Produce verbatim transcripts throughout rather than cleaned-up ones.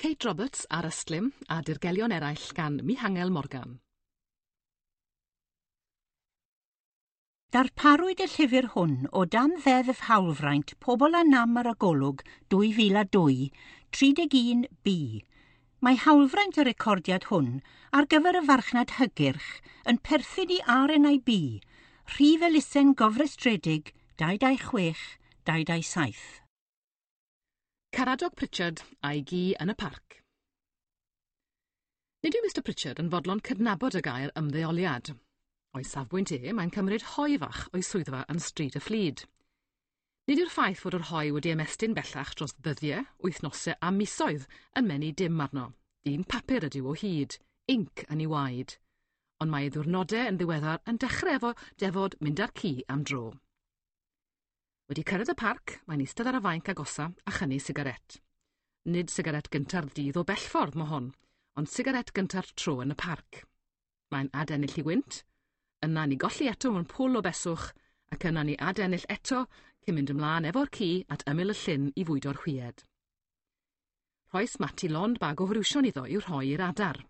Kate Roberts a'r Ystlum a Dirgelion Eraill gan Mihangel Morgan. Darparwyd y llyfr hwn o dan Ddeddf Hawlfraint Pobl â Nam ar y Golwg dwy fil a dwy, tri deg un B. Mae hawlfraint y recordiad hwn ar gyfer y farchnad hygyrch yn perthyn i R N I B, rhif elusen gofrestredig dau dau chwech dau dau saith. Caradog Pritchard a'i gi yn y parc. Nid yw Mister Pritchard yn fodlon cydnabod y gair ymddeoliad. O'i safbwynt e, mae'n cymryd hoe fach o'i swyddfa yn Stryd y Fflyd. Nid yw'r ffaith fod yr hoe wedi ymestyn bellach dros ddyddiau, wythnosau a misoedd yn menu dim arno. Dyn papur ydyw o hyd, inc yn ei waed. Ond mae ei ddiwrnodau yn ddiweddar yn dechrau efo defod mynd â'r ci am dro. Wedi cyrraedd y parc, mae'n eistedd ar y fainc agosa a chynnu sigaret. Nid sigaret gynta'r dydd o bellffordd mo hon, ond sigaret gynta'r tro yn y parc. Mae'n adennill i wynt, yna ni golli eto mewn pwl o beswch, ac yna ni adennill eto cyn mynd ymlaen efo'r ci at ymyl y llyn i fwydo'r hwyed. Rhoes Mati lond bag o friwsion iddo i'w rhoi i'r adar.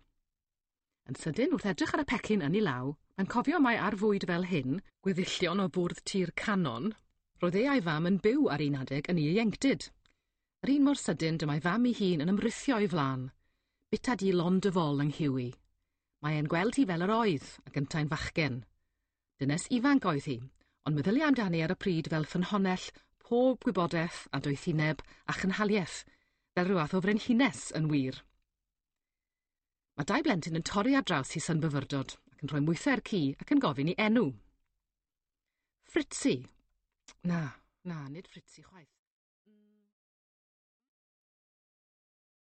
Yn sydyn, wrth edrych ar y pecyn yn ei law, mae'n cofio mai ar fwyd fel hyn, gweddillion o fwrdd tir canon, roedd e a'i fam yn byw ar un adeg yn ei ieuenctid. Yr un mor sydyn dyma'i fam ei hun yn ymrithio o'i flaen. Bita di lond y fol yng Nghiwi. Mae e'n gweld hi fel yr oedd, ac yntau'n fachgen. Dynes ifanc oedd hi, ond meddylia amdani ar y pryd fel ffynhonnell pob gwybodaeth a doethineb a chynhaliaeth, fel rhyw fath o frenhines yn wir. Mae dau blentyn yn torri ar draws hi synbyfyrdod ac yn rhoi mwythau'r ci ac yn gofyn i enw. Fritzi. Na, na, nid Fritzi chwaith.